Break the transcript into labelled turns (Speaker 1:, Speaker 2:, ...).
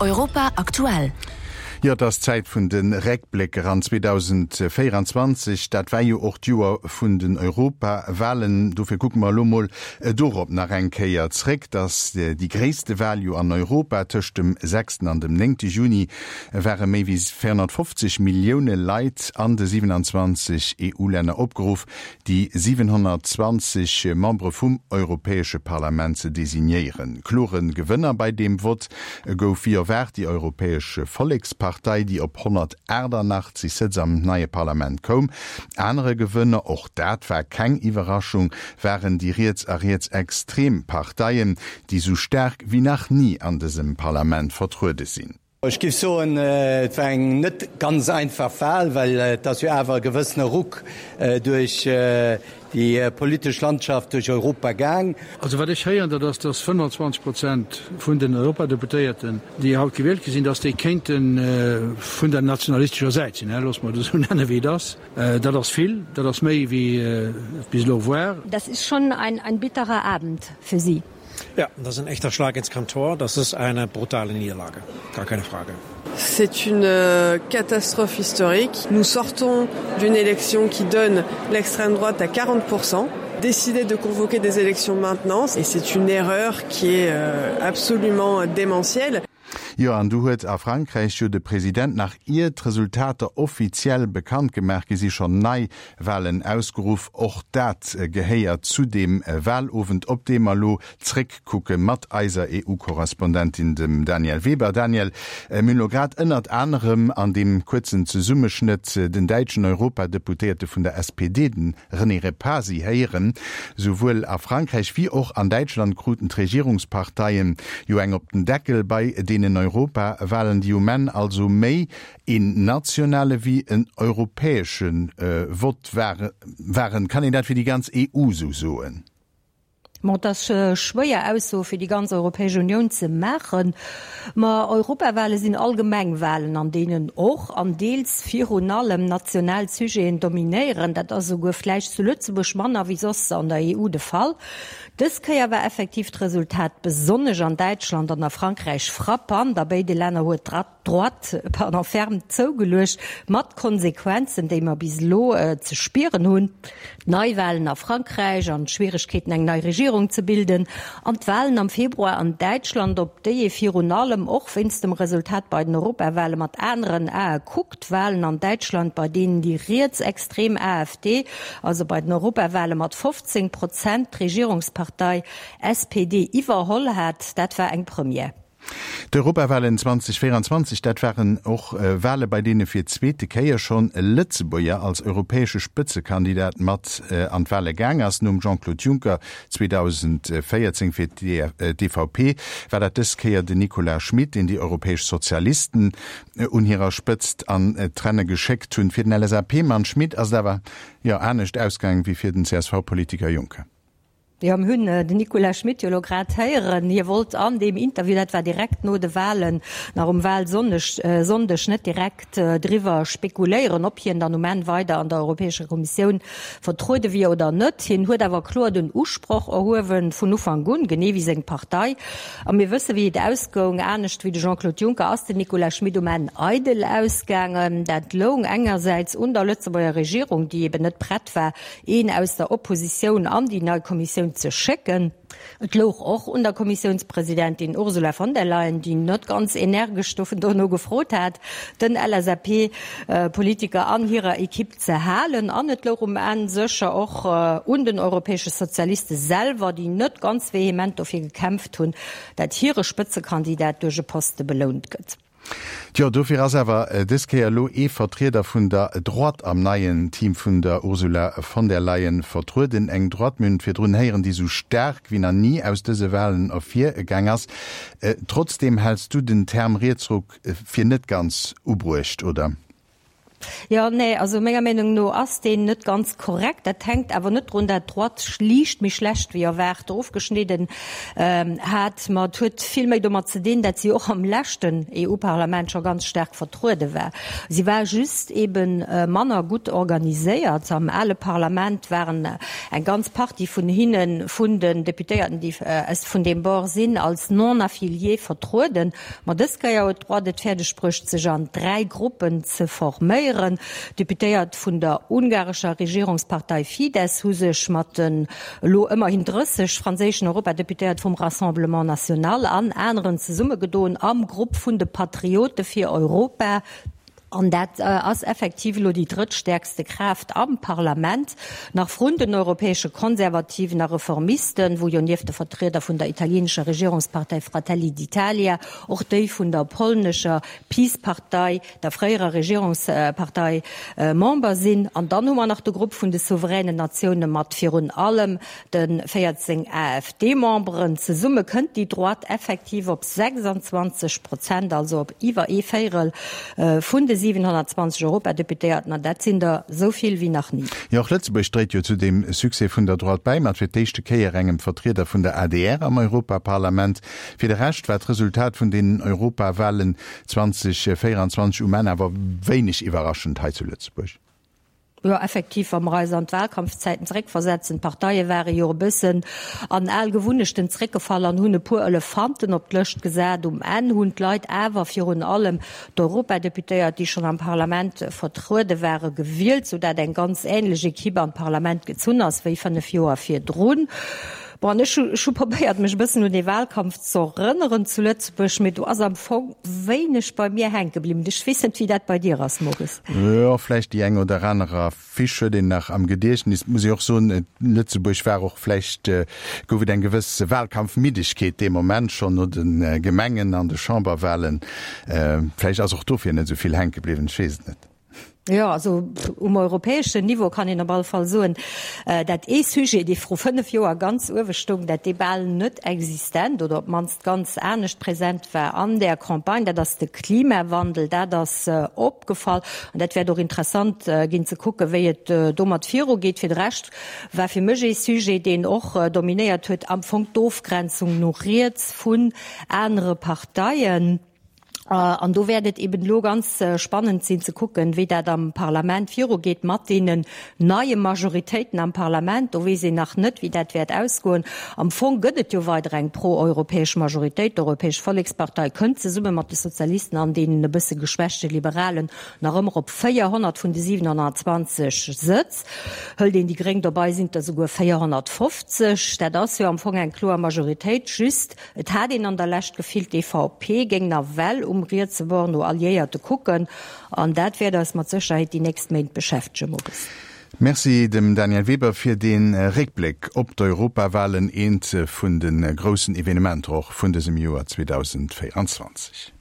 Speaker 1: Europa aktuell.
Speaker 2: Jo, et ass d'Zäit vun de Réckblécker an 2024, dat war jo och d'Joer vun den Europawahlen. Dofir kucke mer elo mol dorop nach eng Kéier zréck. Et ass déi gréisste Wahl jo an Europa. Tëscht dem sechsten an dem néngte Juni ware méi wéi 450 Millioune Leit an de 27 EU-Länner opgeruff, déi 720 Membere vum Europäesche Parlament ze designéieren. Klore Gewënner bei deem Vott gouf wéi erwaart déi Europäesch Vollekspartei, déi op 188 Sëtz am neie Parlament koum. Anere Gewënner, och dat war keng Iwwerraschung, waren déi riets a rietsextrem Parteien, déi sou staark wéi nach ni an dësem Parlament vertruede sinn.
Speaker 3: Ech géif soen, et war eng net ganz einfach Wahl, well et ass jo awer e gewëssene Ruck duerch déi politesch Landschaft duerch Europa gaang.
Speaker 4: Also wat ech héieren, dat ass, dass 25 Prozent vun den Europadeputéierten, déi haut gewielt gi sinn, dass déi kéinte vun der nationalistescher Säit sinn, loosse mer et esou nennen, wéi et ass. Dat ass vill, dat ass méi wéi et bis elo war.
Speaker 5: Das ist schon ein, ein bitterer Abend für Sie.
Speaker 6: Ja, das ist ein echter Schlag ins Kontor. Das ist eine brutale Niederlage. Gar keine Frage.
Speaker 7: C'est une euh, catastrophe historique. Nous sortons d'une élection qui donne l'extrême droite à 40%. Décider de convoquer des élections maintenant et c'est une erreur qui est euh, absolument démentielle.
Speaker 2: Jo, an du huet a Frankräich jo de President, nach ier d'Resultater offiziell bekannt gemaach gi si, schonn nei Walen ausgeruff. Och dat gehéiert zu deem Walowend, op dee mer elo zréckkucke mat eiser EU-Korrespondentin, dem Danièle Weber. Danièle, mir hunn elo grad ënnert anerem an deem kuerzen Zesummeschnëtt den däitschen Europadeputéierte vun der SPD, den René Repasi héieren. Souwuel a Frankräich wéi och an Däitschland kruten d'Regierungsparteien jo eng op den Deckel bei deenen Europawahlen, déi um Enn also méi een nationale wéi en europäesche Vott waren. Kann een dat fir déi ganz EU esou soen?
Speaker 5: Bon, et ass schwéier Aussoe fir déi ganz Europäesch Unioun ze maachen, ma Europawale sinn allgemeng Walen, an deenen och an deels virun allem national Sujeten dominéieren. Dat ass esouguer vläicht zu Lëtzebuerg manner wéi soss an der EU de Fall. Dës Kéier war effektiv d'Resultat besonnesch an Däitschland an a Frankräich frappant. A béide Länner huet d'Droite, pardon, ferm zougeluecht, mat Konsequenzen, déi mer bis elo ze spieren hunn, d'Neiwahlen a Frankräich an d'Schwieregkeeten, eng nei Regierung ze bilden, an d'Wahlen am Februar an Däitschland, op déi ee virun allem och wéinst dem Resultat bei den Europawahlen mat aneren Ae kuckt. Wahlen an Däitschland, bei deenen déi rietsextrem AfD, also bei den Europawahlen mat 15 Prozent d'Regierungspartei SPD iwwerholl hat, dat war eng Première.
Speaker 2: D'Europawalen 2024, dat waren och Wale bei deene fir d'zweete Kéier schonn e Lëtzebuerger als europäesche Spëtzekandidat mat an d'Wale gaang ass. Nom Jean-Claude Juncker 2014 fir d'EVP war dat dës Kéier den Nicolas Schmit, deen déi europäesch Sozialisten un hirer Spëtzt an d'Renne geschéckt hunn. Fir den LSAP-Mann Schmit ass et awer, jo, anescht ausgaangen wéi fir den CSV-Politiker Juncker.
Speaker 5: Jo, mir hunn den Nicolas Schmit jo elo grad héieren. Hie wollt an deem Interview, dat war direkt no de Wahlen, nach um Wahlsonndeg, Sonndeg, net direkt driwwer spekuléieren, ob hien dann um Enn weider an der Europäescher Kommissioun vertruede wier oder net. Hien huet awer kloer den Usproch erhuewen, vun Ufank un, genee wéi seng Partei. A mir wësse wéi et ausgoung. Anescht wéi de Jean-Claude Juncker ass den Nicolas Schmit um Enn eidel ausgaangen. Dat loung engersäits un der Lëtzebuerger Regierung, déi eben net prett war, een aus der Oppositioun an déi nei Kommissioun ze schécken. Et louch och un der Kommissiounspresidentin Ursula von der Leyen, déi net ganz energesch dovun dono gefrot hat, den LSAP-Politiker an hirer Ekipp ze halen. An et louch um Enn sécher och un den europäesche Sozialiste selwer, déi net ganz vehement dofir gekämpft hunn, dat hire Spëtzekandidat duerch e Poste belount gëtt.
Speaker 2: Tjo, dofir ass awer dës Kéier elo ee Vertrieder vun der Droite am neien Team vun der Ursula von der Leyen vertrueden. Eng Droite, mir hunn et virdrun héieren, déi esou staark wéi nach ni aus dëse Walen ervir gaang ass. Trotzdeem häls du den Term Rietsruck fir net ganz ubruecht, oder?
Speaker 5: Jo, nee, also menger Meenung no ass deen net ganz korrekt. Dat hänkt awer net drun, dat d'Droite liicht méi schlecht wéi erwaart ofgeschnidden hat, ma et huet vill méi domat ze dinn, dat si och am leschten EU-Parlament scho ganz staark vertruede war. Si war just ebe manner gutt organiséiert. Am ale Parlament waren eng ganz Partie vun hinne, vun den Deputéierten, déi vun deem Bord sinn, als Non-affiliés vertrueden. Ma dës Kéier huet d'Droite et fäerdeg bruecht, sech an 3 Gruppen ze forméieren. Deputéiert vun der ungarescher Regierungspartei Fidesz hu sech mat den elo ëmmerhin 30 franséischen Europadeputéiert vum Rassemblement National an aneren zesummegedoen am Grupp vun de Patriote fir Europa. An dat ass effektiv elo déi drëttstäerkste Kraaft am Parlament, nach vrun den europäesche Konservativen a Reformisten, wou jo nieft de Vertrieder vun der italienescher Regierungspartei Fratelli d'Italia och déi vun der polnescher PiS-Partei, der fréierer Regierungspartei, Member sinn. An dann hu mer nach de Grupp vun de souveränen Natioune mat virun allem De 14 AfD-Memberen zesumme kënnt déi Droite effektiv op 26 Prozent, also op iwwer ee Véierel vun de 720 Europadeputéierten, an dat sinn der esou vill wéi nach ni.
Speaker 2: Jo, och Lëtzebuerg dréit jo zu deem Succès vun der Droite bäi, mat fir d'éischte Kéier engem Vertrieder vun der adr am Europaparlament. Fir de Rescht war d'Resultat vun deenen Europawalen 2024 um Enn awer wéineg iwwerraschend hei zu Lëtzebuerg.
Speaker 5: Jo, effektiv, wa mer eis an d'Wahlkampfzäiten zeréckversetzen, d'Parteie ware jo e bëssen an al Gewunnechten zeréckgefall an hunn e puer Elefanten op d'Lëscht gesat. Um Enn hunn d'Leit awer virun allem d'Europadeputéiert, déi schonn am Parlament vertruede ware, gewielt, soudatt eng ganz ähnlech Equipe an d'Parlament gezunn ass wéi 5 Joer virdrun. Bon, an ech hu, ech hu probéiert, mech e bëssen un dee Wahlkampf ze erënneren zu Lëtzebuerg, mee do ass am Fong wéineg bei mir hänke bliwwen. Ech weess net, wéi dat bei dir ass, Maurice.
Speaker 2: Jo, vläicht déi eng oder aner Affiche huet een nach am Gediechtnis. Muss ee och soen, Lëtzebuerg war och vläicht, gouf et eng gewëss Wahlkampfmiddegkeet dee Moment schonn no de Gemengen an de Chamberwahlen. Vläicht ass och dofir net esou vill hänke bliwwen, ech weess et net.
Speaker 5: Jo, also um europäeschen Niveau kann een op alle Fall soen, dat ee Sujet, dee vru 5 Joer ganz uewe stoung, dat dee bal net existent oder op d'mannst ganz anescht present war an där Campagne, dat ass de Klimawandel. Dat ass opgefall an dat wäert och interessant ginn ze kucken, wéi et domat virugeet. Fir de Rescht war fir mech ee Sujet, deen och dominéiert huet, am Fong d'Ofgrenzung no riets vun anere Parteien. An do wäert et eben elo ganz spannend sinn ze kucken, wéi dat am Parlament virugeet mat deenen neie Majoritéiten am Parlament. Do weess een nach net, wéi dat wäert ausgoen. Am Fong gëtt et jo weider eng pro-europäesch Majoritéit. D'Europäesch Vollekspartei kënnt zesumme mat de Sozialisten an deenen e bësse geschwächte Liberalen nach ëmmer op 400 vun de 720 Sëtz. Hëlt een déi Gréng dobei, sinn et der souguer 450. Dat ass jo am Fong eng kloer Majoritéit. Just, Et hat een an der Lescht d'Gefill, d'EVP géing nawell um rietse Bord no Alliéierte kucken. An dat wäert eis mat Sécherheet déi nächst Méint beschäftegen, Maurice.
Speaker 2: Merci dem Danièle Weber fir dee Réckbléck op d'Europawahlen, eent vun de groussen Evenementer och vun dësem Joer 2024.